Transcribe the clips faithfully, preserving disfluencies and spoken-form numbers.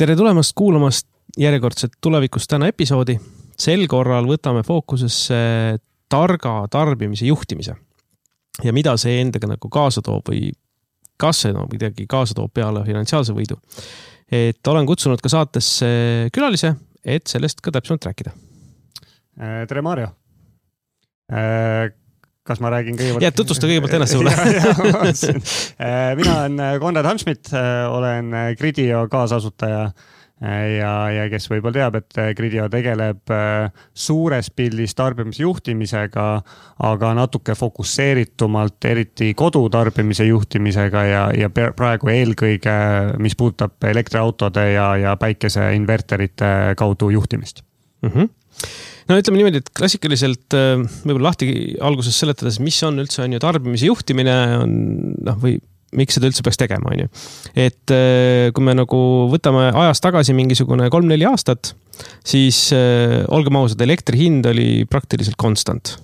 tere tulemast kuulamast järjekordset tulevikust täna episoodi. Sel korral võtame fookusesse targa tarbimise juhtimise ja mida see endaga nagu kaasa toob või kas see no, midagi kaasa toob peale finantsiaalse võidu. Et olen kutsunud ka saatesse külalise, et sellest ka täpsemalt rääkida. Tere Mario! Kas ma räägin kõigepealt? Ja, tutvusta kõigepealt ennast sulle. Mina olen Konrad Hamschmidt, olen Gridio kaasasutaja ja, ja kes võib-olla teab, et Gridio tegeleb suures pildis tarbimise juhtimisega, aga natuke fokusseeritumalt, eriti kodutarbimise juhtimisega ja, ja praegu eelkõige, mis puudutab elektriautode ja, ja päikeseinverterite kaudu juhtimist. Mhm. No ütleme niimoodi, et klassikaliselt võib-olla lahti alguses seletades, mis on üldse on ju tarbimise juhtimine on, noh, või miks seda üldse peaks tegema, on ju. Et kui me nagu võtame ajas tagasi mingisugune kolm-neli aastat, siis olgem ausad, elektri hind oli praktiliselt konstant.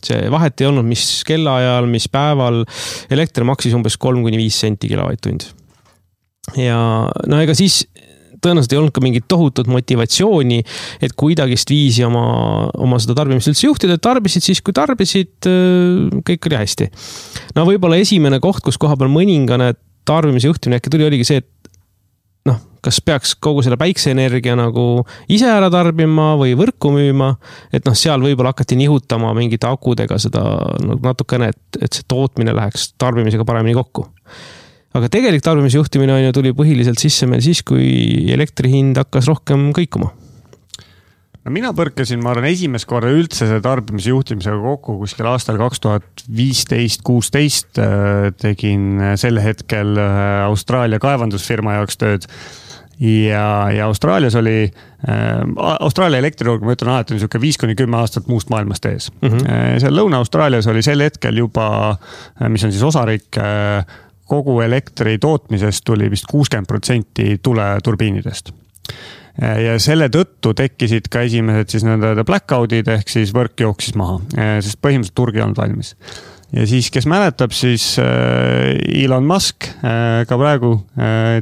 See vahet ei olnud, mis kellaajal, mis päeval elektri maksis umbes kolm kuni viis senti kilovatt-tund. Ja no ega siis tõenäoliselt ei olnud ka mingit tohutut motivatsiooni, et kuidagist viisi oma, oma seda tarbimist üldse juhtida, et tarbisid siis, kui tarbisid, kõik oli hästi. No võib-olla esimene koht, kus koha peal mõningane tarbimise juhtimine äkki tuli, oligi see, et noh, kas peaks kogu selle päikseenergia nagu ise ära tarbima või võrku müüma, et noh, seal võib-olla hakati nihutama mingite akudega seda natukene, et, et see tootmine läheks tarbimisega paremini kokku. Aga tegelik tarbimise juhtimine on ju tuli põhiliselt sisse meil siis, kui elektri hind hakkas rohkem kõikuma. No mina põrkasin, ma arvan, esimest korda üldse see tarbimise juhtimisega kokku kuskil aastal kaks tuhat viisteist kuusteist tegin sel hetkel Austraalia kaevandusfirma jaoks tööd. Ja, ja Austraalias oli, äh, Austraalia elektriturg, ma ütlen alati, on viis kuni kümme aastat muust maailmast ees. Mm-hmm. Seal Lõuna-Austraalias oli sel hetkel juba, mis on siis osariik, kogu elektri tootmisest tuli vist kuuskümmend protsenti tule turbiinidest. Ja selle tõttu tekkisid ka esimesed siis nende blackoutid ehk siis võrk jooksis maha, sest põhimõtteliselt turg ei olnud valmis. Ja siis, kes mäletab, siis Elon Musk ka praegu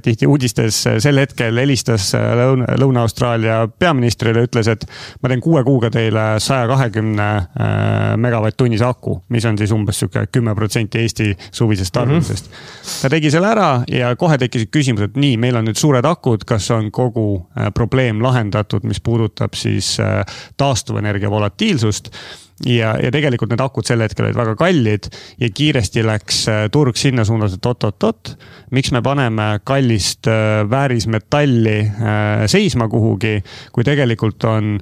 tihti uudistes sel hetkel helistas Lõuna-Austraalia peaministrile ja ütles, et ma teen kuue kuuga teile sada kakskümmend megavatt-tunnis aku, mis on siis umbes kümme protsenti Eesti suvisest tarbimisest. Mm-hmm. Ta tegi selle ära ja kohe tekkisid küsimus, et nii, meil on nüüd suured akud, kas on kogu probleem lahendatud, mis puudutab siis taastuvenergia volatiilsust. Ja, ja tegelikult need akud sel hetkel olid väga kallid ja kiiresti läks turg sinna suunas, et oot-oot-oot, miks me paneme kallist väärismetalli seisma kuhugi, kui tegelikult on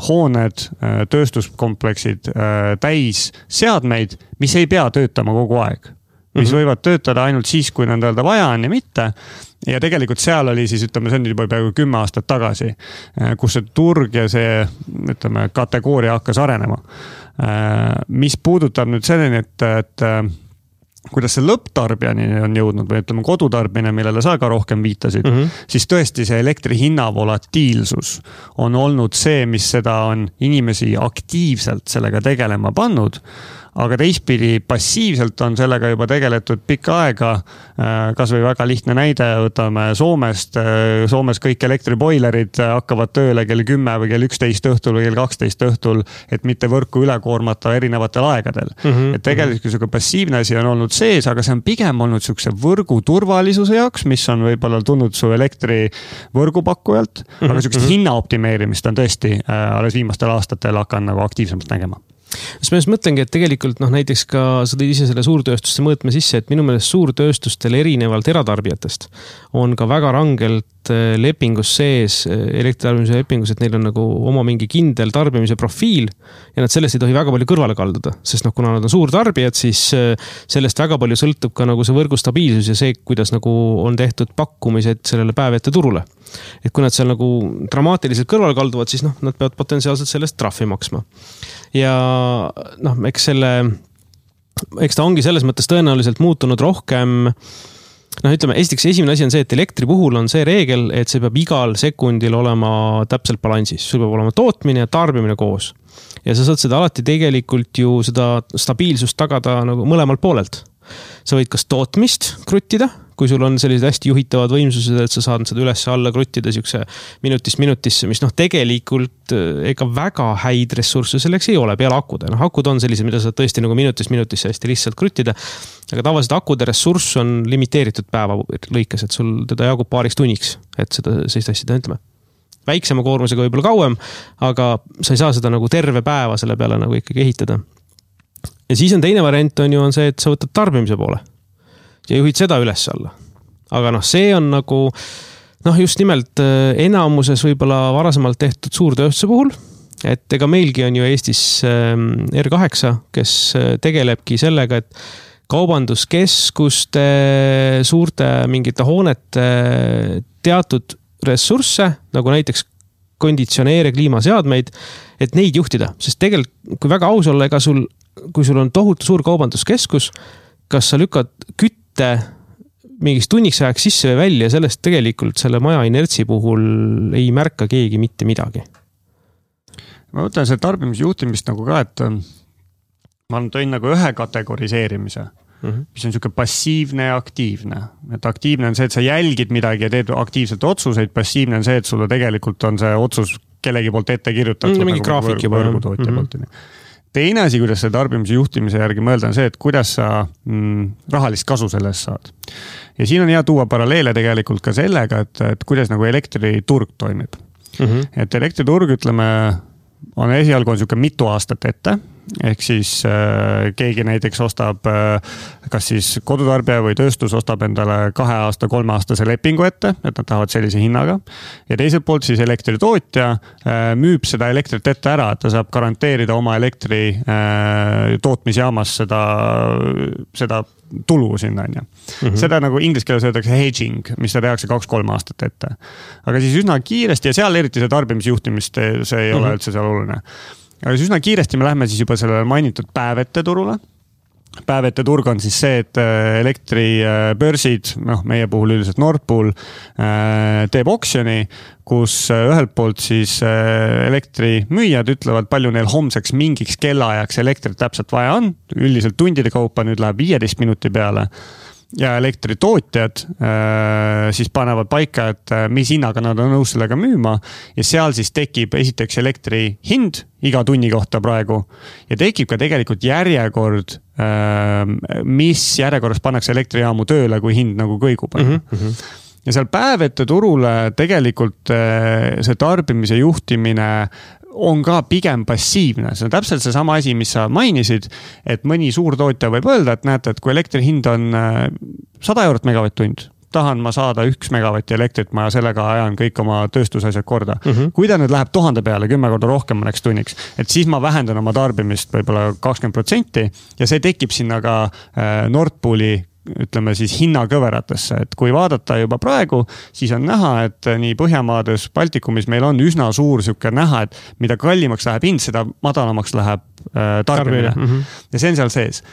hooned, tööstuskompleksid täis seadmeid, mis ei pea töötama kogu aeg. Mis mm-hmm. võivad töötada ainult siis, kui nendel vaja on ja mitte. Ja tegelikult seal oli siis, ütleme, see on juba peaaegu kümme aastat tagasi, kus see turg ja see, ütleme, kategooria hakkas arenema. Mis puudutab nüüd selleni, et, et kuidas see lõpptarbijani on jõudnud või ütleme kodutarbine, millele sa ka rohkem viitasid, mm-hmm. siis tõesti see elektri hinna volatiilsus on olnud see, mis seda on inimesi aktiivselt sellega tegelema pannud. Aga teistpidi passiivselt on sellega juba tegeletud pikka aega, kas või väga lihtne näide, võtame Soomest, Soomes kõik elektriboilerid hakkavad tööle kell kümme või kell üksteist õhtul või kell kaksteist õhtul, et mitte võrku üle koormata erinevatel aegadel. Mm-hmm. Et tegelikult mm-hmm. passiivne asi on olnud sees, aga see on pigem olnud sükse võrgu turvalisuse jaoks, mis on võib-olla tulnud su elektri võrgupakkujalt, mm-hmm. aga sükse hinna optimeerimist on tõesti alles viimastel aastatel hakkan nagu aktiivsemalt nägema. Siis ma just mõtlengi, et tegelikult noh, näiteks ka sa tõid ise selle suurtööstuste mõõtme sisse, et minu meelest suurtööstustel erinevalt eratarbijatest on ka väga rangelt lepingus sees, elektritarbimise lepingus, et neil on nagu oma mingi kindel tarbimise profiil ja nad sellest ei tohi väga palju kõrvale kalduda, sest noh, kuna nad on suurtarbijad, siis sellest väga palju sõltub ka nagu see võrgu stabiilsus ja see, kuidas nagu on tehtud pakkumised sellele päevete turule. Et kui nad seal nagu dramaatiliselt kõrvale kalduvad, siis noh, nad peavad potentsiaalselt sellest trahvi maksma. Ja noh, eks selle, eks ta ongi selles mõttes tõenäoliselt muutunud rohkem, noh ütleme, esiteks esimene asi on see, et elektri puhul on see reegel, et see peab igal sekundil olema täpselt balansis. Sul peab olema tootmine ja tarbimine koos. Ja sa saad seda alati tegelikult ju seda stabiilsust tagada nagu mõlemalt poolelt. Sa võid kas tootmist kruttida, kui sul on sellised hästi juhitavad võimsused, et sa saad seda üles alla kruttida siukse minutist minutisse, mis noh, tegelikult ega väga häid ressursse selleks ei ole peale akude. Noh, akud on sellised, mida saad tõesti nagu minutist minutisse hästi lihtsalt kruttida, aga tavaliselt akude ressurss on limiteeritud päeva lõikes, et sul teda jagub paariks tunniks, et seda sellist asja ütleme. Väiksema koormusega võib-olla kauem, aga sa ei saa seda nagu terve päeva selle peale nagu ikkagi ehitada. Ja siis on teine variant on ju on see, et sa võtad tarbimise poole ja juhid seda üles alla. Aga noh, see on nagu noh, just nimelt enamuses võib-olla varasemalt tehtud suurtööstuse puhul, et ega meilgi on ju Eestis R kaheksa, kes tegelebki sellega, et kaubanduskeskuste, suurte mingite hoonete teatud ressursse, nagu näiteks konditsioneere, kliimaseadmeid, et neid juhtida, sest tegelikult, kui väga aus olla, ega sul kui sul on tohutu suur kaubanduskeskus, kas sa lükkad kütte mingis tunniks ajaks sisse või välja, sellest tegelikult selle maja inertsi puhul ei märka keegi mitte midagi. Ma võtan selle tarbimisjuhtimist nagu ka, et ma tõin nagu ühe kategoriseerimise, mm-hmm. mis on niisugune passiivne ja aktiivne. Et aktiivne on see, et sa jälgid midagi ja teed aktiivselt otsuseid, passiivne on see, et sulle tegelikult on see otsus kellegi poolt ette kirjutatud. Mm, mingi nagu graafik juba. Võrgutootja mm-hmm. poolt. Teine asi, kuidas see tarbimise juhtimise järgi mõelda on see, et kuidas sa mm, rahalist kasu sellest saad. Ja siin on hea tuua paralleele tegelikult ka sellega, et, et kuidas nagu elektriturg toimib. Mm-hmm. Et elektriturg, ütleme, on esialgu on niisugune mitu aastat ette, ehk siis äh, keegi näiteks ostab äh, kas siis kodutarbija või tööstus ostab endale kahe aasta, kolme aastase lepingu ette, et nad tahavad sellise hinnaga. Ja teiselt poolt siis elektritootja äh, müüb seda elektrit ette ära, et ta saab garanteerida oma elektri äh, tootmisjaamas seda, seda tulu sinna. Mm-hmm. Seda nagu inglise keeles öeldakse hedging, mis ta tehakse kaks-kolm aastat ette. Aga siis üsna kiiresti ja seal eriti see tarbimisjuhtimist, see ei mm-hmm. ole üldse seal oluline. Aga siis üsna kiiresti me lähme siis juba sellele mainitud päevete turule. Päevete turg on siis see, et elektribörsid, noh, meie puhul üldiselt Nord Pool, teeb oksjoni, kus ühelt poolt siis elektrimüüjad ütlevad, palju neil homseks mingiks kellaajaks elektrit täpselt vaja on. Üldiselt tundide kaupa nüüd läheb viieteist minuti peale. Ja elektritootjad äh, siis panevad paika, et mis hinnaga nad on nõus sellega müüma ja seal siis tekib esiteks elektri hind iga tunni kohta praegu ja tekib ka tegelikult järjekord, äh, mis järjekorras pannakse elektrijaamu tööle, kui hind nagu kõigub. Mm-hmm. Ja seal päevete turule tegelikult äh, see tarbimise juhtimine on ka pigem passiivne. See on täpselt see sama asi, mis sa mainisid, et mõni suur tootja võib öelda, et näete, et kui elektri hind on sada eurot megavatt-tund, tahan ma saada üks megavatti elektrit, ma sellega ajan kõik oma tööstusasjad korda. Mm-hmm. Kui ta nüüd läheb tuhande peale, kümme korda rohkem mõneks tunniks, et siis ma vähendan oma tarbimist võib-olla kakskümmend protsenti ja see tekib sinna ka Nord Pooli ütleme siis hinnakõveratesse, et kui vaadata juba praegu, siis on näha, et nii Põhjamaades, Baltikumis meil on üsna suur siuke näha, et mida kallimaks läheb hind, seda madalamaks läheb äh, tarbimine. Mm-hmm. Ja see on seal sees.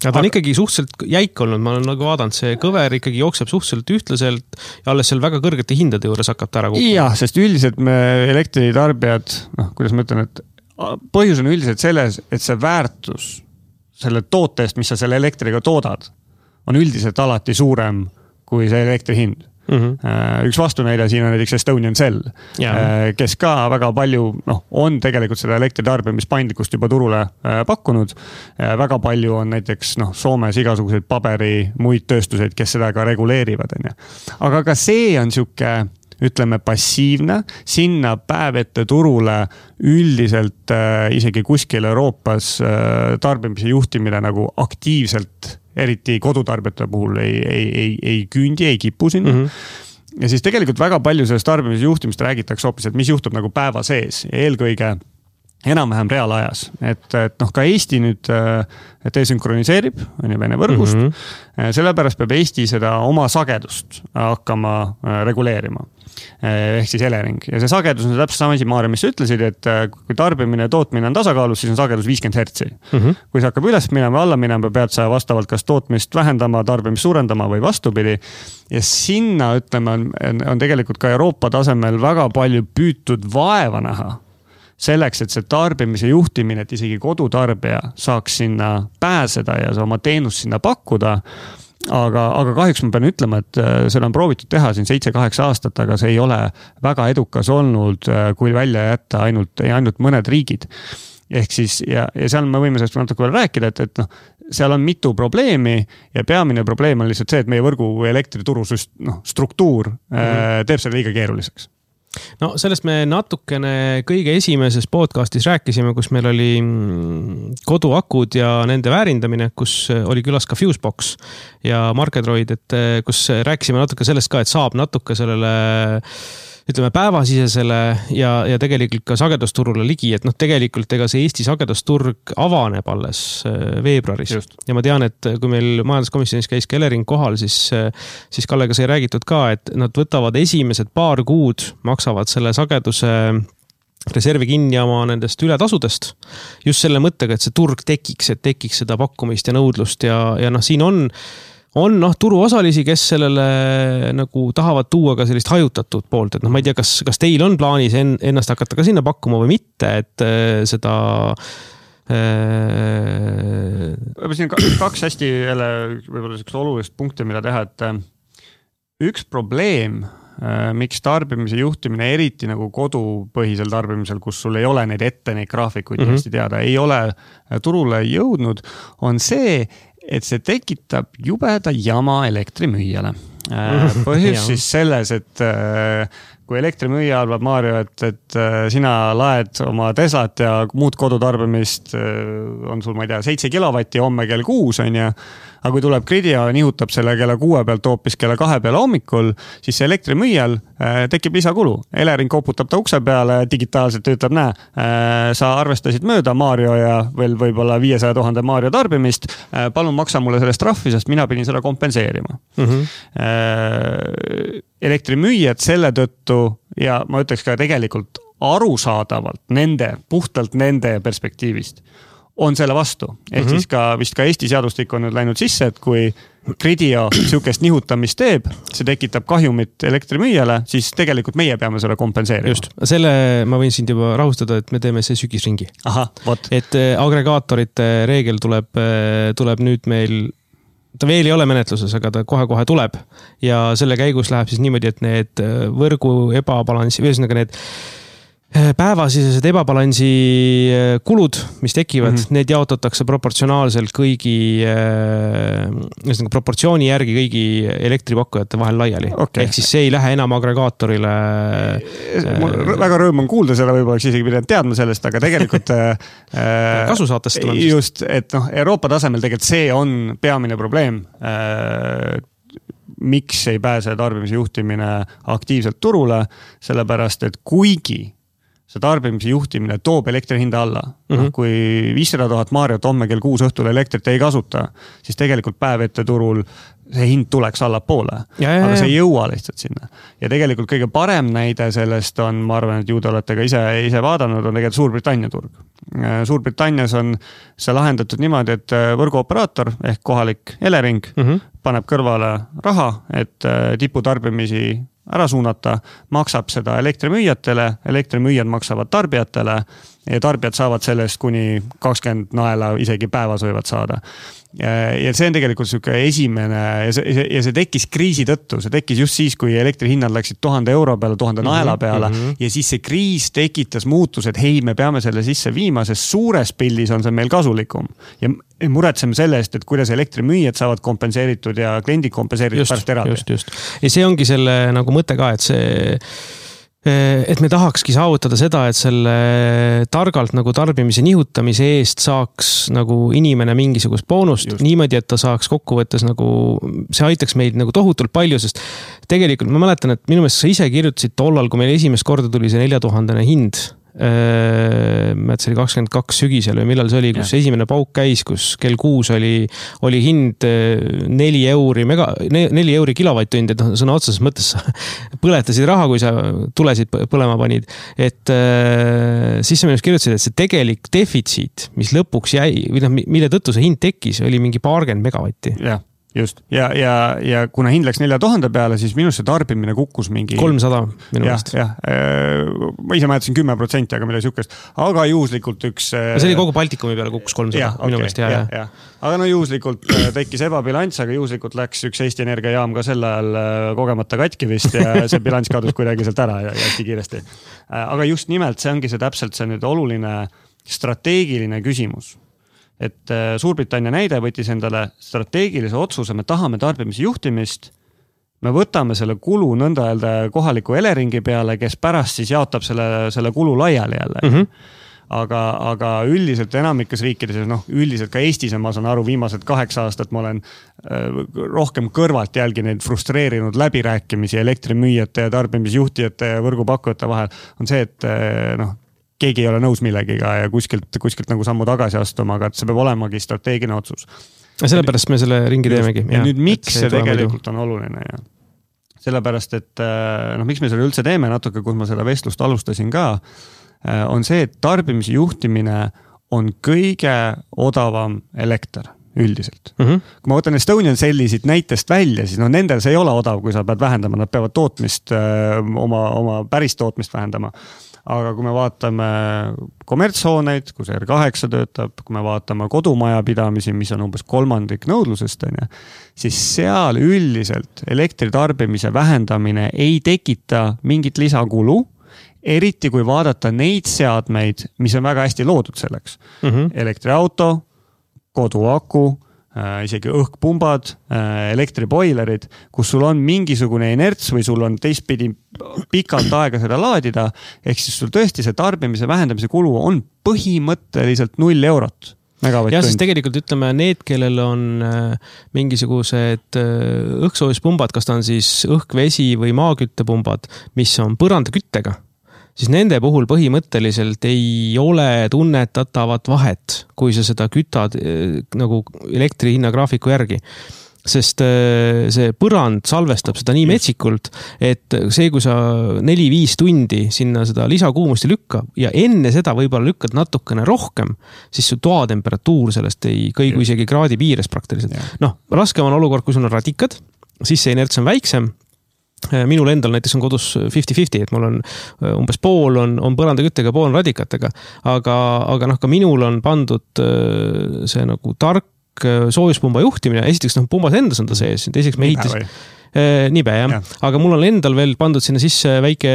Ja ta on ikkagi suhteliselt jäik olnud, ma olen nagu vaadanud, see kõver ikkagi jookseb suhteliselt ühtlaselt ja alles seal väga kõrgete hindade juures hakkab ta ära kukuma. Jah, sest üldiselt me elektritarbijad, noh, kuidas ma ütlen, et põhjus on üldiselt selles, et see väärtus selle tootest, mis sa selle elektriga toodad, on üldiselt alati suurem kui see elektri hind. Mm-hmm. Üks vastunäide siin on näiteks Estonian Cell, yeah. kes ka väga palju noh, on tegelikult seda elektritarbimispaindlikkust juba turule pakkunud. Väga palju on näiteks noh, Soomes igasuguseid paberi, muid tööstuseid, kes seda ka reguleerivad. Aga ka see on siuke ütleme passiivne, sinna päevete turule üldiselt äh, isegi kuskil Euroopas äh, tarbimise juhtimine nagu aktiivselt, eriti kodutarbijate puhul ei, ei, ei, ei küündi, ei kipu sinna. Mm-hmm. Ja siis tegelikult väga palju sellest tarbimise juhtimist räägitakse hoopis, et mis juhtub nagu päeva sees. Eelkõige enam-vähem reaalajas. Et, et noh, ka Eesti nüüd desünkroniseerib, on ju Vene võrgust. Mm-hmm. Sellepärast peab Eesti seda oma sagedust hakkama reguleerima. Ehk siis Elering. Ja see sagedus on täpselt sama asi, Maarja, mis sa ütlesid, et kui tarbimine ja tootmine on tasakaalus, siis on sagedus viiskümmend hertsi. Mm-hmm. Kui see hakkab üles minema, alla minema, pead sa vastavalt kas tootmist vähendama, tarbimist suurendama või vastupidi. Ja sinna, ütleme, on, on tegelikult ka Euroopa tasemel väga palju püütud vaeva näha selleks, et see tarbimise juhtimine, et isegi kodutarbija saaks sinna pääseda ja oma teenust sinna pakkuda, aga, aga kahjuks ma pean ütlema, et seda on proovitud teha siin seitse kaheksa aastat, aga see ei ole väga edukas olnud, kui välja jätta ainult, ainult mõned riigid. Ehk siis, ja, ja seal me võime sellest natuke veel rääkida, et, et noh, seal on mitu probleemi ja peamine probleem on lihtsalt see, et meie võrgu või elektrituru noh, struktuur mm-hmm. teeb selle liiga keeruliseks. No sellest me natukene kõige esimeses podcastis rääkisime, kus meil oli koduakud ja nende väärindamine, kus oli külas ka Fusebox ja Marketdroid, et kus rääkisime natuke sellest ka, et saab natuke sellele ütleme päevasisesele ja, ja tegelikult ka sagedusturule ligi, et noh, tegelikult ega see Eesti sagedusturg avaneb alles veebruaris. Just. Ja ma tean, et kui meil majanduskomisjonis käis Elering kohal, siis, siis Kallega sai räägitud ka, et nad võtavad esimesed paar kuud, maksavad selle sageduse reservi kinni oma nendest ületasudest. Just selle mõttega, et see turg tekiks, et tekiks seda pakkumist ja nõudlust ja, ja noh, siin on on noh, turuosalisi, kes sellele nagu tahavad tuua ka sellist hajutatud poolt, et noh, ma ei tea, kas, kas teil on plaanis en, ennast hakata ka sinna pakkuma või mitte, et äh, seda äh... siin kaks hästi jälle võib-olla sellist olulist punkti, mida teha, et üks probleem, äh, miks tarbimise juhtimine eriti nagu kodupõhisel tarbimisel, kus sul ei ole neid ette, neid graafikuid mm-hmm. hästi teada, ei ole turule jõudnud, on see, et see tekitab jubeda jama elektrimüüjale. Põhjus siis selles, et kui elektrimüüja arvab, Mario, et, et sina laed oma Teslat ja muud kodutarbimist on sul, ma ei tea, seitse kilovatti homme kell kuus on ja aga kui tuleb gridi ja nihutab selle kella kuue pealt hoopis kella kahe peale hommikul, siis see elektrimüüjal äh, tekib lisakulu. Elering koputab ta ukse peale, digitaalselt ütleb, näe, äh, sa arvestasid mööda Mario ja veel võib-olla viiesaja tuhande Mario tarbimist, äh, palun maksa mulle sellest trahvi, sest mina pidin seda kompenseerima. Mm-hmm. Äh, elektrimüüjad selle tõttu ja ma ütleks ka tegelikult arusaadavalt nende, puhtalt nende perspektiivist on selle vastu. Ehk mm-hmm. siis ka vist ka Eesti seadustik on nüüd läinud sisse, et kui Gridio sihukest nihutamist teeb, see tekitab kahjumit elektrimüüjale, siis tegelikult meie peame selle kompenseerima. Just, selle ma võin sind juba rahustada, et me teeme see sügisringi. Aha, vot. Et agregaatorite reegel tuleb, tuleb nüüd meil, ta veel ei ole menetluses, aga ta kohe-kohe tuleb ja selle käigus läheb siis niimoodi, et need võrgu ebabalansi, või ühesõnaga need päevasisesed ebabalansi kulud, mis tekivad, mm-hmm. need jaotatakse proportsionaalselt kõigi, äh, proportsiooni järgi kõigi elektripakkujate vahel laiali. Okay. Ehk siis see ei lähe enam agregaatorile. Mul väga rõõm on kuulda selle, võib-olla isegi pidanud teadma sellest, aga tegelikult kasu saatest tulemisest. Just, et noh, Euroopa tasemel tegelikult see on peamine probleem. Miks ei pääse tarbimise juhtimine aktiivselt turule, sellepärast, et kuigi see tarbimise juhtimine toob elektri hinda alla. Mm-hmm. No, kui viissada tuhat Mariot homme kell kuus õhtul elektrit ei kasuta, siis tegelikult päev ette turul see hind tuleks allapoole. Ja, ja, aga see ei jõua lihtsalt sinna. Ja tegelikult kõige parem näide sellest on, ma arvan, et ju te olete ka ise, ise vaadanud, on tegelikult Suurbritannia turg. Suurbritannias on see lahendatud niimoodi, et võrguoperaator ehk kohalik Elering mm-hmm. paneb kõrvale raha, et tiputarbimisi ära suunata, maksab seda elektrimüüjatele, elektrimüüjad maksavad tarbijatele ja tarbijad saavad sellest kuni kakskümmend naela isegi päevas võivad saada. Ja see on tegelikult selline esimene ja see, ja see tekkis kriisi tõttu, see tekkis just siis, kui elektrihinnad läksid tuhande euro peale, tuhande naela peale mm-hmm. ja siis see kriis tekitas muutus, et hei, me peame selle sisse viima, sest suures pildis on see meil kasulikum ja muretseme selle eest, et kuidas elektrimüüjad saavad kompenseeritud ja kliendid kompenseeritud just, pärast eraldi. Just, just. Ja see ongi selle nagu mõte ka, et see et me tahakski saavutada seda, et selle targalt nagu tarbimise nihutamise eest saaks nagu inimene mingisugust boonust just. Niimoodi, et ta saaks kokkuvõttes nagu, see aitaks meid nagu tohutult palju, sest tegelikult ma mäletan, et minu meelest sa ise kirjutasid tollal, kui meil esimest korda tuli see neljatuhandene hind, ma et see oli kakskümmend kaks sügisel või millal see oli, kus ja. Esimene pauk käis, kus kell kuus oli, oli hind neli euri, mega, neli euri kilovatt-tund, et no, sõna otseses mõttes põletasid raha, kui sa tulesid põlema panid. Et siis sa minust kirjutasid, et see tegelik defitsiit, mis lõpuks jäi, või noh, mille tõttu see hind tekkis, oli mingi paarkümmend megavatti. Jah. just, ja, ja, ja kuna hind läks nelja tuhande peale, siis minus see tarbimine kukkus mingi kolmsada minu jah, meelest. jah, ma ise määtasin kümme protsenti, aga midagi sihukest, aga juhuslikult üks ja see oli kogu Baltikumi peale kukkus kolmsada ja, minu okay, meelest, jah, jah. Ja. Aga no juhuslikult tekkis ebabilants, aga juhuslikult läks üks Eesti Energia jaam ka sel ajal kogemata katki vist ja see bilanss kadus kuidagi sealt ära ja hästi kiiresti. Aga just nimelt see ongi see täpselt see nüüd oluline strateegiline küsimus. Et Suurbritannia näide võttis endale strateegilise otsuse, me tahame tarbimise juhtimist, me võtame selle kulu nõnda öelda kohaliku Eleringi peale, kes pärast siis jaotab selle, selle kulu laiali jälle. Mm -hmm. Aga, aga üldiselt enamikes riikides, noh, üldiselt ka Eestis, ma saan aru, viimased kaheksa aastat ma olen rohkem kõrvalt jälgi neid frustreerinud läbirääkimisi elektrimüüjate ja tarbimisjuhtijate ja võrgupakkujate vahel, on see, et noh, keegi ei ole nõus millegiga ja kuskilt, kuskilt nagu sammu tagasi astuma, aga see peab olemagi strateegiline otsus. Ja sellepärast me selle ringi teemegi. Ja, ja nüüd miks see tegelikult on oluline? Ja. Sellepärast, et noh, miks me selle üldse teeme natuke, kus ma seda vestlust alustasin ka, on see, et tarbimise juhtimine on kõige odavam elekter üldiselt. Mm -hmm. Kui ma võtan Estonian Cellisid näitest välja, siis no nendel see ei ole odav, kui sa pead vähendama, nad peavad tootmist, oma, oma päris tootmist vähendama. Aga kui me vaatame kommertshooneid, kus R kaheksa töötab, kui me vaatame kodumajapidamisi, mis on umbes kolmandik nõudlusest, siis seal üldiselt elektritarbimise vähendamine ei tekita mingit lisakulu, eriti kui vaadata neid seadmeid, mis on väga hästi loodud selleks. Mm -hmm. Elektriauto, koduaku, äh, isegi õhkpumbad, äh, elektriboilerid, kus sul on mingisugune inerts või sul on teistpidi pikalt aega seda laadida, ehk siis sul tõesti see tarbimise vähendamise kulu on põhimõtteliselt null eurot. Ja siis tegelikult ütleme need, kellel on äh, mingisugused äh, õhksoojuspumbad, kas ta on siis õhkvesi või maaküttepumbad, mis on põrandaküttega, siis nende puhul põhimõtteliselt ei ole tunnetatavat vahet, kui sa seda kütad äh, nagu elektri hinnagraafiku järgi. Sest äh, see põrand salvestab seda nii metsikult, et see, kui sa neli viis tundi sinna seda lisakuumust ei lükka ja enne seda võib-olla lükkad natukene rohkem, siis su toatemperatuur sellest ei kõigu isegi kraadi piires praktiliselt. Noh, raskem on olukord, kui sul on radikad, siis see inerts on väiksem. Minul endal näiteks on kodus viiskümmend viiskümmend, et mul on umbes pool on, on põrandaküttega, pool on radikatega, aga, aga noh, ka minul on pandud see nagu tark soojuspumba juhtimine, esiteks noh, pumbas endas on ta sees, teiseks me ehitas nibe, jah. Ja. Aga mul on endal veel pandud sinna sisse väike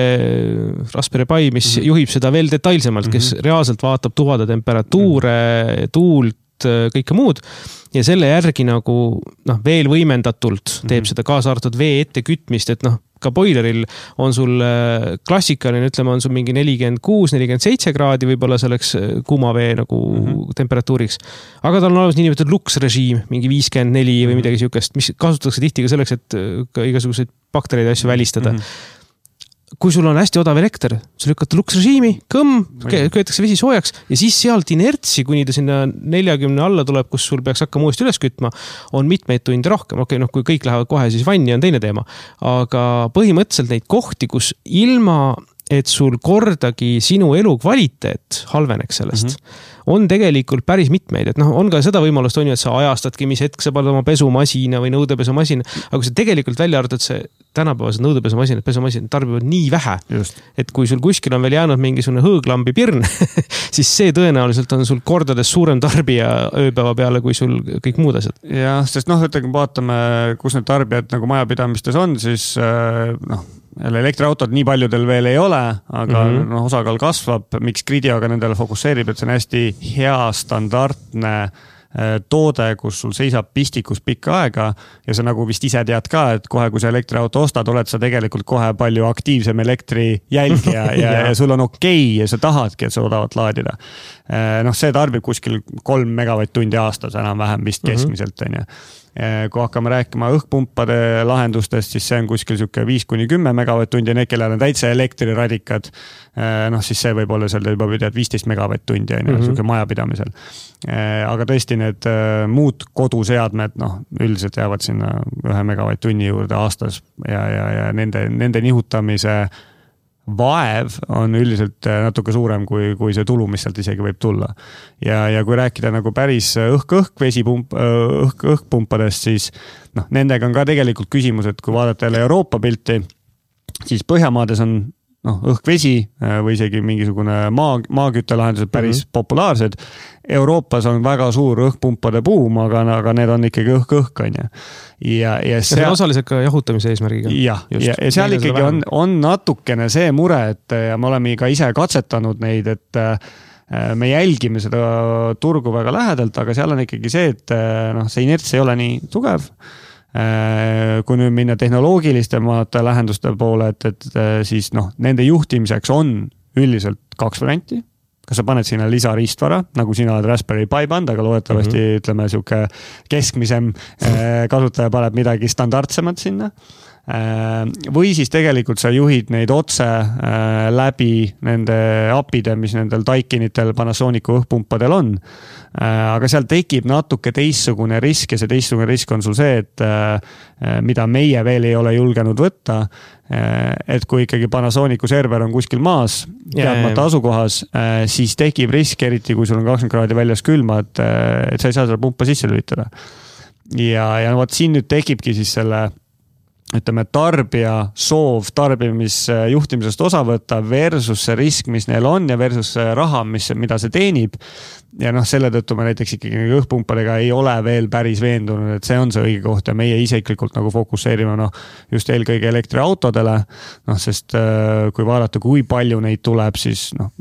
Raspberry Pi, mis mm -hmm. juhib seda veel detailsemalt, kes mm -hmm. reaalselt vaatab tuvade temperatuure, mm -hmm. tuult, kõike muud ja selle järgi nagu noh, veel võimendatult teeb mm -hmm. seda kaasa arvatud vee ette kütmist, et noh, ka boileril on sul klassikaline, ütleme, on sul mingi nelikümmend kuus nelikümmend seitse kraadi võib-olla selleks kuuma vee nagu mm -hmm. temperatuuriks. Aga tal on olemas niinimetatud luksrežiim, mingi viiskümmend neli või midagi sihukest, mis kasutatakse tihti ka selleks, et ka igasuguseid baktereid asju välistada. Mm -hmm. Kui sul on hästi odav elekter, sa lükkad luksrežiimi, kõmm, köetakse vesi soojaks ja siis sealt inertsi, kuni ta sinna neljakümne alla tuleb, kus sul peaks hakkama uuesti üles kütma, on mitmeid tunde rohkem. Okei, noh, kui kõik lähevad kohe, siis vanni on teine teema. Aga põhimõtteliselt neid kohti, kus ilma, et sul kordagi sinu elu kvaliteet halveneks sellest, mm -hmm. on tegelikult päris mitmeid. Et noh, on ka seda võimalust, on ju, et sa ajastadki, mis hetk sa paned oma pesumasina või nõudepesumasina, aga kui sa tegelikult välja arvutad, see tänapäevased nõudepesumasinad, pesumasinad tarbivad nii vähe, just. Et kui sul kuskil on veel jäänud mingisugune hõõglambi pirn, siis see tõenäoliselt on sul kordades suurem tarbija ööpäeva peale, kui sul kõik muud asjad. Jah, sest noh, ütleme, vaatame, kus need tarbijad nagu majapidamistes on, siis noh, elektriautod nii paljudel veel ei ole, aga mm -hmm. no, osakaal kasvab, miks Gridi aga nendele fokusseerib, et see on hästi hea standardne toode, kus sul seisab pistikus pikka aega ja sa nagu vist ise tead ka, et kohe, kui sa elektriauto ostad, oled sa tegelikult kohe palju aktiivsem elektri jälgija ja, ja, ja sul on okei ja sa tahadki, et sa odavat laadida. Noh, see tarbib kuskil kolm megavatt-tundi aastas enam-vähem vist keskmiselt, on ju. Kui hakkame rääkima õhkpumpade lahendustest, siis see on kuskil siuke viis kuni kümme megavatt-tundi ja need, kellel on täitsa elektriradikad, noh siis see võib olla seal juba tead viisteist megavatt-tundi on ju, siuke majapidamisel. Aga tõesti need muud koduseadmed, noh, üldiselt jäävad sinna ühe megavatt-tunni juurde aastas ja, ja, ja nende, nende nihutamise vaev on üldiselt natuke suurem kui, kui see tulu, mis sealt isegi võib tulla. Ja, ja kui rääkida nagu päris õhk-õhk vesipump, õhk-õhkpumpadest, siis noh, nendega on ka tegelikult küsimus, et kui vaadata jälle Euroopa pilti, siis Põhjamaades on noh, õhk-vesi või isegi mingisugune maa, maaküttelahendused päris mm-hmm. populaarsed. Euroopas on väga suur õhkpumpade buum, aga, aga need on ikkagi õhk-õhk, on ju. Ja, ja, seal... ja osaliselt ka jahutamise eesmärgiga. Ja, ja, ja seal ikkagi on, on natukene see mure, et ja me oleme ka ise katsetanud neid, et me jälgime seda turgu väga lähedalt, aga seal on ikkagi see, et noh, see inerts ei ole nii tugev. Kui nüüd minna tehnoloogilistemate lähenduste poole, et, et siis noh, nende juhtimiseks on üldiselt kaks varianti. Kas sa paned sinna lisariistvara, nagu sina oled Raspberry Pi band, aga loodetavasti mm-hmm. ütleme siuke keskmisem kasutaja paneb midagi standardsemat sinna. Või siis tegelikult sa juhid neid otse läbi nende appide, mis nendel Daikinitel, Panasonicu õhkpumpadel on. Aga seal tekib natuke teistsugune risk ja see teistsugune risk on sul see, et mida meie veel ei ole julgenud võtta, et kui ikkagi Panasonicu server on kuskil maas, teadmata asukohas, siis tekib risk, eriti kui sul on kakskümmend kraadi väljas külma, et, et sa ei saa seda pumpa sisse lülitada. Ja, ja võt siin nüüd tekibki siis selle ütleme, tarbija soov tarbimisjuhtimisest osa võtta versus see risk, mis neil on ja versus see raha, mis, mida see teenib. Ja noh, selle tõttu me näiteks ikkagi õhkpumpadega ei ole veel päris veendunud, et see on see õige koht ja meie isiklikult nagu fokusseerime noh, just eelkõige elektriautodele, noh, sest kui vaadata, kui palju neid tuleb, siis noh,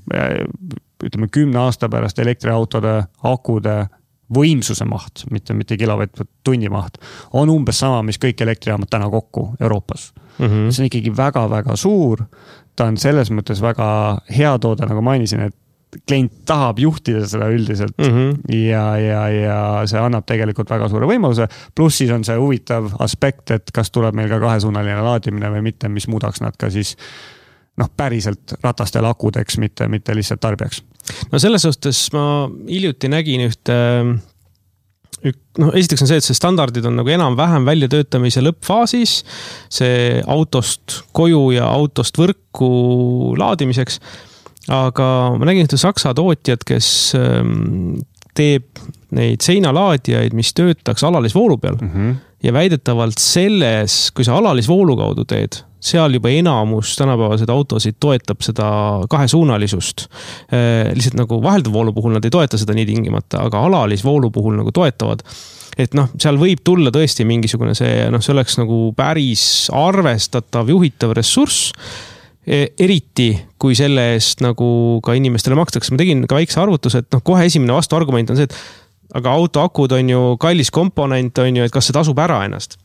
ütleme kümne aasta pärast elektriautode, akude võimsuse maht, mitte, mitte kilovatt tunni maht, on umbes sama, mis kõik elektrijaamad täna kokku Euroopas. Mm-hmm. See on ikkagi väga-väga suur. Ta on selles mõttes väga hea toode, nagu mainisin, et klient tahab juhtida seda üldiselt mm-hmm. ja, ja, ja see annab tegelikult väga suure võimaluse. Pluss siis on see huvitav aspekt, et kas tuleb meil ka kahesuunaline laadimine või mitte, mis muudaks nad ka siis noh, päriselt ratastel akudeks, mitte, mitte lihtsalt tarbijaks. No selles suhtes ma hiljuti nägin ühte, no esiteks on see, et see standardid on nagu enam-vähem väljatöötamise lõppfaasis, see autost koju ja autost võrku laadimiseks, aga ma nägin ühte saksa tootjad, kes teeb neid seinalaadijaid, mis töötaks alalisvoolu peal mm-hmm. ja väidetavalt selles, kui sa alalisvoolu kaudu teed, seal juba enamus tänapäevaseid autosid toetab seda kahesuunalisust. Lihtsalt nagu vahelduvvoolu puhul nad ei toeta seda nii tingimata, aga alalisvoolu puhul nagu toetavad. Et noh, seal võib tulla tõesti mingisugune see, noh, see oleks nagu päris arvestatav juhitav ressurss, eriti kui selle eest nagu ka inimestele makstakse. Ma tegin ka väikse arvutuse, et noh, kohe esimene vastuargument on see, et aga auto akud on ju kallis komponent, on ju, et kas see tasub ära ennast.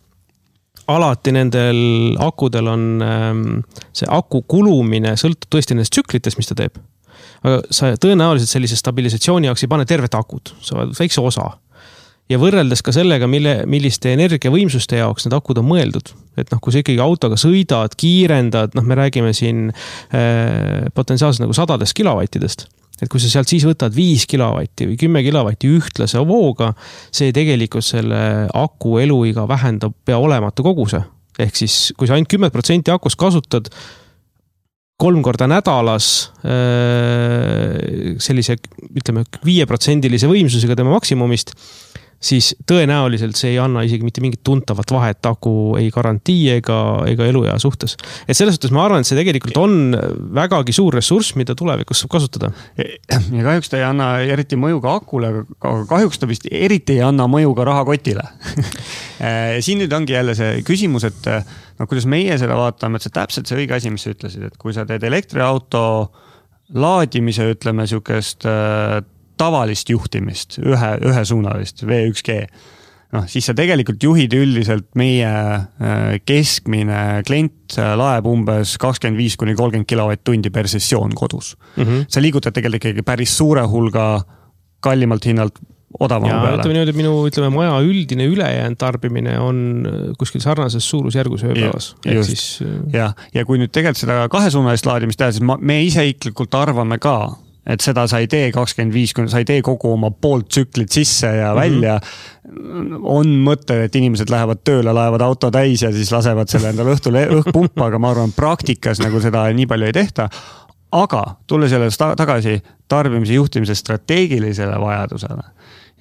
Alati nendel akudel on see aku kulumine sõltub tõesti nendest tsüklitest, mis ta teeb. Aga sa tõenäoliselt sellise stabilisatsiooni jaoks ei pane tervet akut, sa oled väikse osa. Ja võrreldes ka sellega, mille, milliste energiavõimsuste jaoks need akud on mõeldud. Et noh, kui sa ikkagi autoga sõidad, kiirendad, noh, me räägime siin äh, potentsiaalselt nagu sadadest kilovattidest. Et kui sa sealt siis võtad viis kilovatti või kümme kilovatti ühtlase vooga, see tegelikult selle aku eluiga vähendab pea olematu koguse. Ehk siis, kui sa ainult kümme protsenti akust kasutad kolm korda nädalas sellise, ütleme, viie protsendilise võimsusega tema maksimumist, siis tõenäoliselt see ei anna isegi mitte mingit tuntavat vahet aku ei garantii ega, ega eluea suhtes. Et selles suhtes ma arvan, et see tegelikult on vägagi suur ressurss, mida tulevikus saab kasutada. Ja kahjuks ta ei anna eriti mõju ka akule, aga kahjuks ta vist eriti ei anna mõju ka rahakotile. Siin nüüd ongi jälle see küsimus, et no, kuidas meie seda vaatame, et see täpselt see õige asi, mis sa ütlesid, et kui sa teed elektriauto laadimise, ütleme, siukest tavalist juhtimist, ühe, ühesuunalist, V üks G, no, siis sa tegelikult juhid üldiselt meie keskmine klient laeb umbes kakskümmend viis kuni kolmkümmend kilovatt-tundi per sessioon kodus. Mm-hmm. Sa liigutad tegelikult päris suure hulga kallimalt hinnalt odavama ja, peale. Ütleme niimoodi, minu ütleme, maja üldine ülejäänud tarbimine on kuskil sarnases suurusjärgus ööpäevas. Ja, siis... ja, ja kui nüüd tegelikult seda kahesuunalist laadimist teha, siis ma, me ise iklikult arvame ka, et seda sa ei tee kakskümmend viis, sa ei tee kogu oma poolt tsüklit sisse ja mm-hmm. välja. On mõte, et inimesed lähevad tööle, laevad auto täis ja siis lasevad selle endale õhtul õhkpumpa, aga ma arvan, praktikas nagu seda nii palju ei tehta. Aga tulle sellest tagasi tarbimise juhtimise strateegilisele vajadusele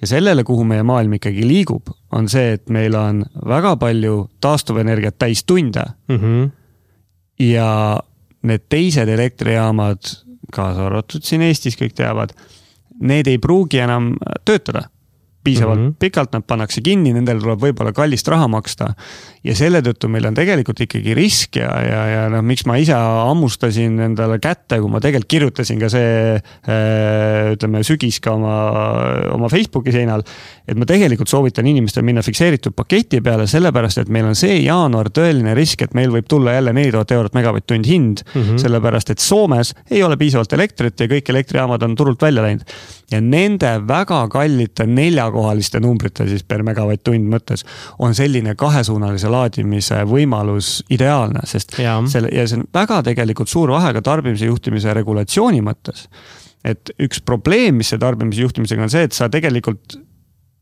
ja sellele, kuhu meie maailm ikkagi liigub, on see, et meil on väga palju taastuvenergiat täis tunde mm-hmm. ja need teised elektrijaamad, kaasa arvatud siin Eestis kõik teavad, need ei pruugi enam töötada. Piisavalt mm-hmm. pikalt nad pannakse kinni, nendel tuleb võib-olla kallist raha maksta. Ja selle tõttu meil on tegelikult ikkagi risk ja, ja, ja no, miks ma ise ammustasin endale kätte, kui ma tegelikult kirjutasin ka see, ütleme, sügis ka oma, oma Facebooki seinal, et ma tegelikult soovitan inimestel minna fikseeritud paketi peale, sellepärast, et meil on see jaanuar tõeline risk, et meil võib tulla jälle neli tuhat eurot megavatt-tund hind, mm-hmm. sellepärast, et Soomes ei ole piisavalt elektrit ja kõik elektrijaamad on turult välja läinud. Ja nende väga kallite neljakohaliste numbrite siis per megavatt-tund mõttes on selline kahesuunalise laadimise võimalus ideaalne, sest ja. Selle, ja see on väga tegelikult suur vahe ka tarbimise juhtimise regulatsiooni mõttes. Et üks probleem, mis see tarbimise juhtimisega on see, et sa tegelikult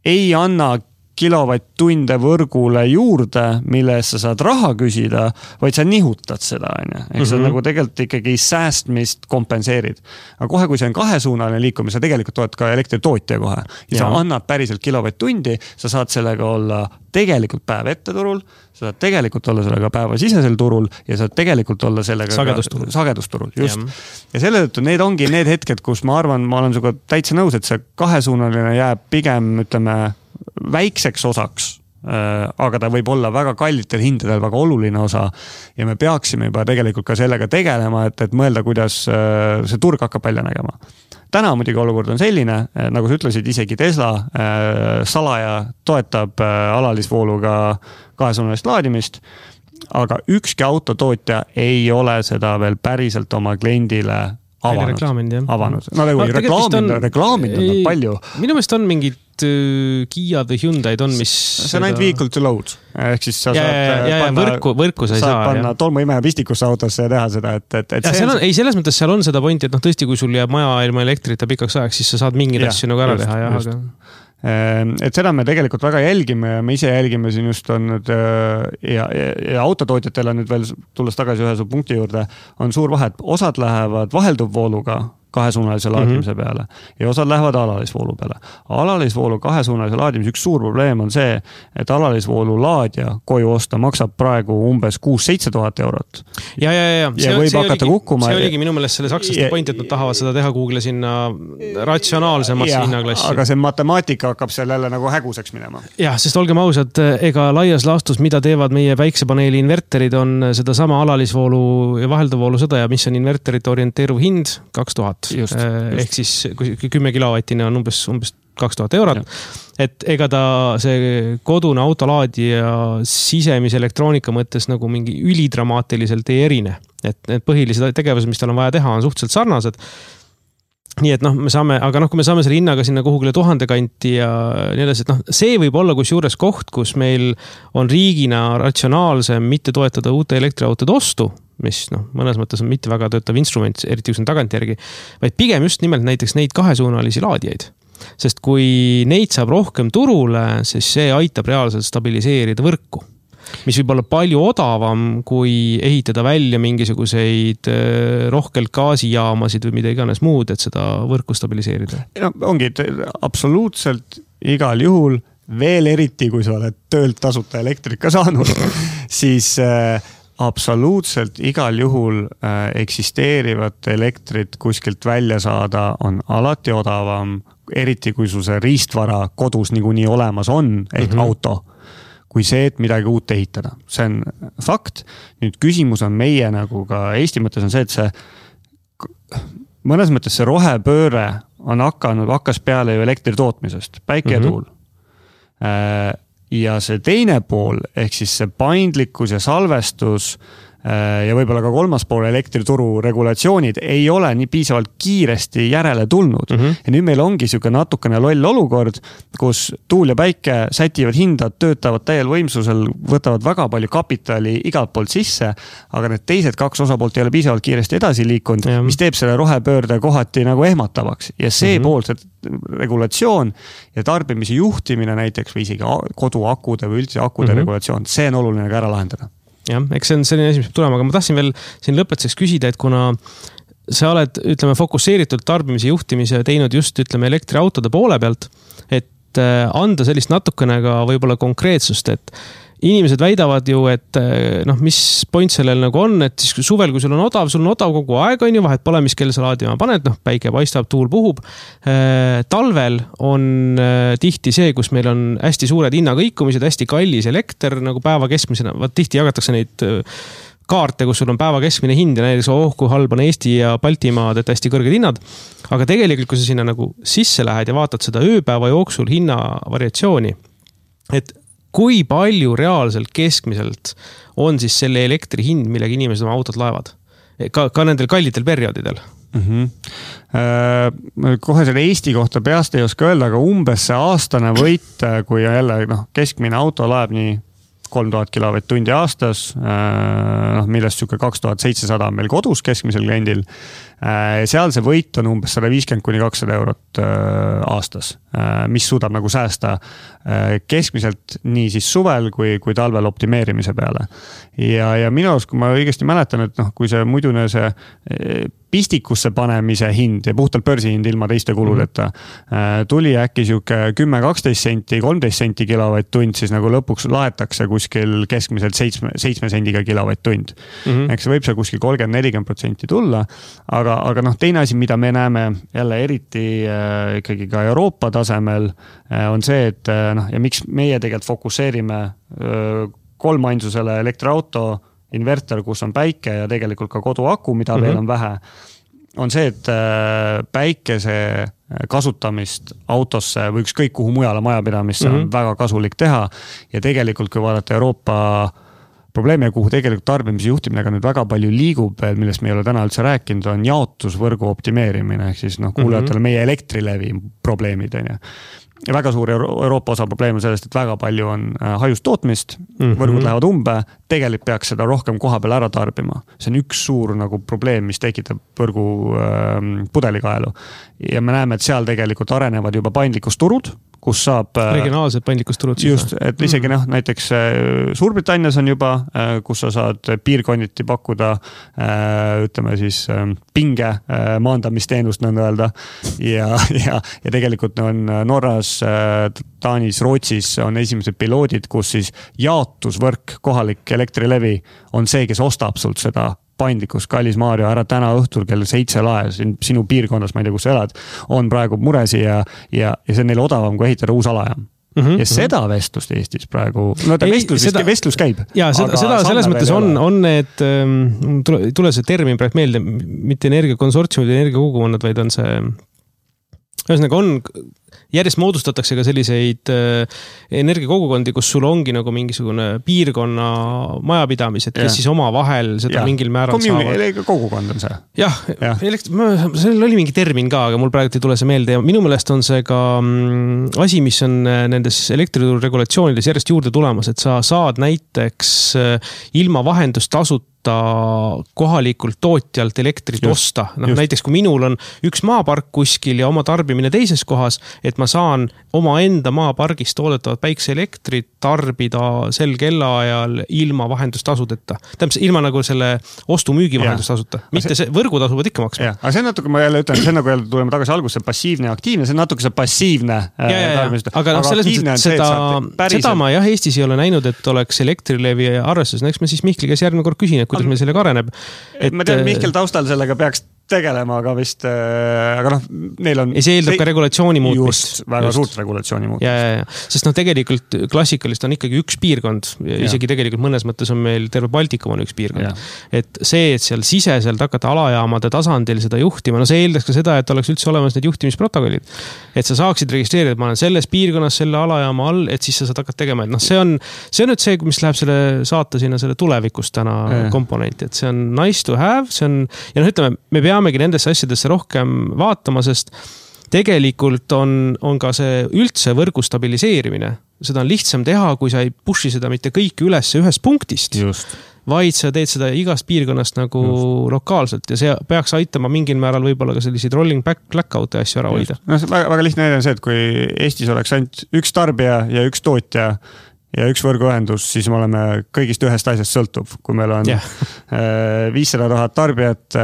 ei anna kilovatt-tunde võrgule juurde, mille eest sa saad raha küsida, vaid sa nihutad seda. Ehk mm-hmm. sa nagu tegelikult ikkagi säästmist kompenseerid. Aga kohe, kui see on kahesuunaline liikumine, sa tegelikult tood ka elektritootja kohe. Ja, ja sa annad päriselt kilovatt-tundi, sa saad sellega olla tegelikult päev ette turul, sa saad tegelikult olla sellega päeva sisesel turul ja saad tegelikult olla sellega sagedusturul. sagedusturul just. Ja. ja selle tõttu need ongi need hetked, kus ma arvan, ma olen suga täitsa nõus, et see kahesuunaline jääb pigem, ütleme, väikseks osaks, aga ta võib olla väga kallitel hindadel väga oluline osa ja me peaksime juba tegelikult ka sellega tegelema, et, et mõelda, kuidas see turg hakkab välja nägema. Täna muidugi olukord on selline, nagu sa ütlesid, isegi Tesla salaja toetab alalisvooluga kahesuunalist laadimist, aga ükski autotootja ei ole seda veel päriselt oma kliendile avanud. Reklaaminud, avanud. No nagu no, reklaaminud on, reklaaminud on palju. Minu meelest on mingid Kia või Hyundai'd on, mis... See on ainult vehicle to load. Ehk siis sa ja, saad ja, ja, panna, võrku, võrku sa ei saad saa. panna tolmuimeja pistikusse autosse ja teha seda. Et, et, et ja, see on, on, ei, selles mõttes seal on seda pointi, et noh, tõesti, kui sul jääb maja ilma elektrita pikaks ajaks, siis sa saad mingid ja, asju nagu ära just, teha. Ja, aga... Et seda me tegelikult väga jälgime ja me ise jälgime siin just on nüüd ja, ja, ja autotootjatel on nüüd veel tulles tagasi ühe su punkti juurde, on suur vahe, et osad lähevad vahelduvvooluga kahesuunalise laadimise mm-hmm. peale ja osad lähevad alalisvoolu peale. Alalisvoolu kahesuunalise laadimise üks suur probleem on see, et alalisvoolu laadja koju osta maksab praegu umbes kuus seitse tuhat eurot. Ja, ja, ja. ja see, võib see hakata oligi, kukkuma. See oligi minu meelest selle sakslaste ja, point, et nad tahavad seda teha Google sinna ratsionaalsemasse hinnaklassi. Aga see matemaatika hakkab seal jälle nagu häguseks minema. Ja, sest olgem ausad, ega laias laastus, mida teevad meie päiksepaneeli inverterid, on seda sama alalisvoolu ja vahelduvvoolu sõda ja mis on inverterite orienteeruv hind kaks tuhat. Just, just. Ehk siis kümme kilovatine on umbes, umbes kaks tuhat eurot. Ja. Et ega ta see kodune autolaadija sisemise elektroonika mõttes nagu mingi ülidramaatiliselt ei erine. Et need põhilised tegevused, mis tal on vaja teha, on suhteliselt sarnased. Nii et noh, me saame, aga noh, kui me saame selle hinnaga sinna kuhugile tuhande kanti ja nii edasi, et noh, see võib olla kusjuures koht, kus meil on riigina ratsionaalsem mitte toetada uute elektriautode ostu, mis noh, mõnes mõttes on mitte väga töötav instrument, eriti kus on tagantjärgi, vaid pigem just nimelt näiteks neid kahesuunalisi laadijaid. Sest kui neid saab rohkem turule, siis see aitab reaalselt stabiliseerida võrku, mis võib olla palju odavam, kui ehitada välja mingisuguseid rohkelt gaasijaamasid või mida iganes muud, et seda võrku stabiliseerida. No, ongi absoluutselt igal juhul, veel eriti, kui sa oled töölt tasuta elektrika saanud, siis absoluutselt igal juhul eksisteerivat elektrit kuskilt välja saada on alati odavam, eriti kui sul see riistvara kodus niikuinii olemas on, ehk mm-hmm. auto, kui see, et midagi uut ehitada. See on fakt. Nüüd küsimus on meie nagu ka Eesti mõttes on see, et see mõnes mõttes see rohepööre on hakanud, hakkas peale ju elektri tootmisest, päike ja tuul. Mm-hmm. Ja see teine pool, ehk siis see paindlikkus ja salvestus ja võib-olla ka kolmas pool elektrituru regulatsioonid ei ole nii piisavalt kiiresti järele tulnud. Mm -hmm. Ja nüüd meil ongi siuke natukene loll olukord, kus tuul ja päike sätivad hindad, töötavad täiel võimsusel, võtavad väga palju kapitali igalt poolt sisse, aga need teised kaks osapoolt ei ole piisavalt kiiresti edasi liikunud, ja. mis teeb selle rohepöörde kohati nagu ehmatavaks. Ja see mm -hmm. pool, see regulatsioon ja tarbimise juhtimine näiteks või isegi koduakude või üldse akude mm -hmm. regulatsioon, see on oluline ka ära lahendada. Jah, eks see on selline asi, mis peab tulema, aga ma tahtsin veel siin lõpetuseks küsida, et kuna sa oled, ütleme, fokusseeritud tarbimise juhtimise teinud just, ütleme, elektriautode poole pealt, et anda sellist natukene ka võib-olla konkreetsust, et inimesed väidavad ju, et noh, mis point sellel nagu on, et siis suvel, kui sul on odav, sul on odav kogu aeg, on ju, vahet pole, mis kell sa laadima paned, noh, päike paistab, tuul puhub. Talvel on tihti see, kus meil on hästi suured hinnakõikumised, hästi kallis elekter nagu päeva keskmisena, vaat tihti jagatakse neid kaarte, kus sul on päeva keskmine hind ja näiteks oh, kui halb on Eesti ja Baltimaad, et hästi kõrged hinnad. Aga tegelikult, kui sa sinna nagu sisse lähed ja vaatad seda ööpäeva jooksul hinna variatsiooni, et kui palju reaalselt keskmiselt on siis selle elektri hind, millega inimesed oma autot laevad? Ka, ka nendel kallitel perioodidel? Mm -hmm. äh, kohe selle Eesti kohta peast ei oska öelda, aga umbes see aastane võit, kui jälle noh, keskmine auto laeb nii kolm tuhat kilovatt-tundi aastas, äh, millest siuke kaks tuhat seitsesada on meil kodus keskmisel kliendil. Äh, seal see võit on umbes sada viiskümmend kuni kakssada eurot äh, aastas, äh, mis suudab nagu säästa äh, keskmiselt nii siis suvel kui, kui talvel optimeerimise peale. Ja, ja minu arust, kui ma õigesti mäletan, et noh, kui see muidune see pistikusse panemise hind ja puhtalt börsihind ilma teiste kuludeta mm -hmm. tuli äkki siuke kümme kaksteist senti, kolmteist senti kilovatt-tund, siis nagu lõpuks laetakse kuskil keskmiselt seitsme, seitsme sendiga kilovatt-tund. Mm -hmm. Eks see võib see kuskil kolmkümmend nelikümmend protsenti tulla, aga, aga noh, teine asi, mida me näeme jälle eriti äh, ikkagi ka Euroopa tasemel, äh, on see, et äh, noh, ja miks meie tegelikult fokusseerime äh, kolmainsusele elektriauto, inverter, kus on päike ja tegelikult ka koduaku, mida mm -hmm. veel on vähe, on see, et päikese kasutamist autosse või ükskõik kuhu mujale majapidamisse mm -hmm. on väga kasulik teha. Ja tegelikult, kui vaadata Euroopa probleeme, kuhu tegelikult tarbimise juhtimine ka nüüd väga palju liigub, millest me ei ole täna üldse rääkinud, on jaotusvõrgu optimeerimine, ehk siis noh, kuulajatele meie Elektrilevi probleemid on ju. Ja väga suur Euroopa osa probleem on sellest, et väga palju on hajust tootmist, mm -hmm. võrgud lähevad umbe, tegelikult peaks seda rohkem koha peal ära tarbima. See on üks suur nagu probleem, mis tekitab võrgu äh, pudelikaelu. Ja me näeme, et seal tegelikult arenevad juba paindlikkusturud, kus saab... Regionaalsed paindlikkusturud. Just, et isegi noh, näiteks Suurbritannias on juba, kus sa saad piirkonniti pakkuda, ütleme siis pinge maandamisteenust nõnda öelda. Ja, ja, ja tegelikult on Norras, Taanis, Rootsis on esimesed piloodid, kus siis jaotusvõrk, kohalik Elektrilevi on see, kes ostab sult seda paindlikkus, kallis Maarjo, ära täna õhtul kell seitse lae, sinu piirkonnas, ma ei tea, kus sa elad, on praegu muresi ja, ja, ja see on neil odavam, kui ehitada uus alajaam. Mm -hmm. Ja seda vestlust Eestis praegu, no ta ei, vestlus, seda, vestlus käib. Ja seda, seda selles mõttes on, on need, tule, tule see termin praegu meelde, mitte energiakonsortsiumid, energiakogukonnad, vaid on see, ühesõnaga on, järjest moodustatakse ka selliseid energiakogukondi, kus sul ongi nagu mingisugune piirkonna majapidamised, kes ja. siis oma vahel seda ja. mingil määral Communi, saavad. Kogukond on see. Jah, ja. Elekt-, sellel oli mingi termin ka, aga mul praegu ei tule see meelde ja minu meelest on see ka asi, mis on nendes elektrituru regulatsioonides järjest juurde tulemas, et sa saad näiteks ilma vahendustasut kohalikult tootjalt elektrit just, osta. No, näiteks kui minul on üks maapark kuskil ja oma tarbimine teises kohas, et ma saan oma enda maapargist toodetavat päikseelektrit tarbida sel kellaajal ilma vahendustasudeta. Tähendab, ilma nagu selle ostu-müügi vahendustasuta. Mitte see võrgutasu võid ikka maksma. Aga see natuke, ma jälle ütlen, see nagu jälle tuleme tagasi algusse, passiivne ja aktiivne, see on natuke see passiivne. Ja, ja, ja. Aga, aga selles mõttes, et seda, päriselt... seda ma jah Eestis ei ole näinud, et oleks Elektrilevi arvestus. Eks me siis Mihkli käes järgmine kord küsin, kuidas meil sellega areneb. Et... Ma tean, Mihkel taustal sellega peaks tegelema, aga vist, aga noh, neil on... Ei, see eeldab see, ka regulatsiooni muutmist. Just, väga just. Suurt regulatsiooni muutmist. Ja, ja, ja. Sest noh, tegelikult klassikalist on ikkagi üks piirkond, isegi ja. Tegelikult mõnes mõttes on meil terve Baltikum on üks piirkond. Ja. Et see, et seal siseselt hakata alajaamade tasandil seda juhtima, no see eeldaks ka seda, et oleks üldse olemas need juhtimisprotokollid. Et sa saaksid registreerida, et ma olen selles piirkonnas selle alajaama all, et siis sa saad hakata tegema. Et noh, see on, see on nüüd see, mis läheb selle saata sinna selle tulevikust täna ja. Komponenti, et see on nice to have, see on, ja noh, ütleme, me peamegi nendesse asjadesse rohkem vaatama, sest tegelikult on, on ka see üldse võrgu stabiliseerimine. Seda on lihtsam teha, kui sa ei pushi seda mitte kõiki üles ühest punktist, just. Vaid sa teed seda igast piirkonnast nagu just. Lokaalselt ja see peaks aitama mingil määral võib-olla ka selliseid rolling back blackout'e asju ära hoida. No, väga, väga lihtne näide on see, et kui Eestis oleks ainult üks tarbija ja üks tootja ja üks võrguühendus, siis me oleme kõigist ühest asjast sõltuv. Kui meil on yeah. viissada tuhat tarbijat,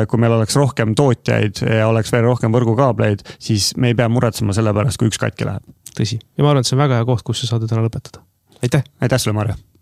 kui meil oleks rohkem tootjaid ja oleks veel rohkem võrgukaableid, siis me ei pea muretsema selle pärast, kui üks katki läheb. Tõsi. Ja ma arvan, et see on väga hea koht, kus sa saad täna lõpetada. Aitäh! Aitäh sulle, Marja!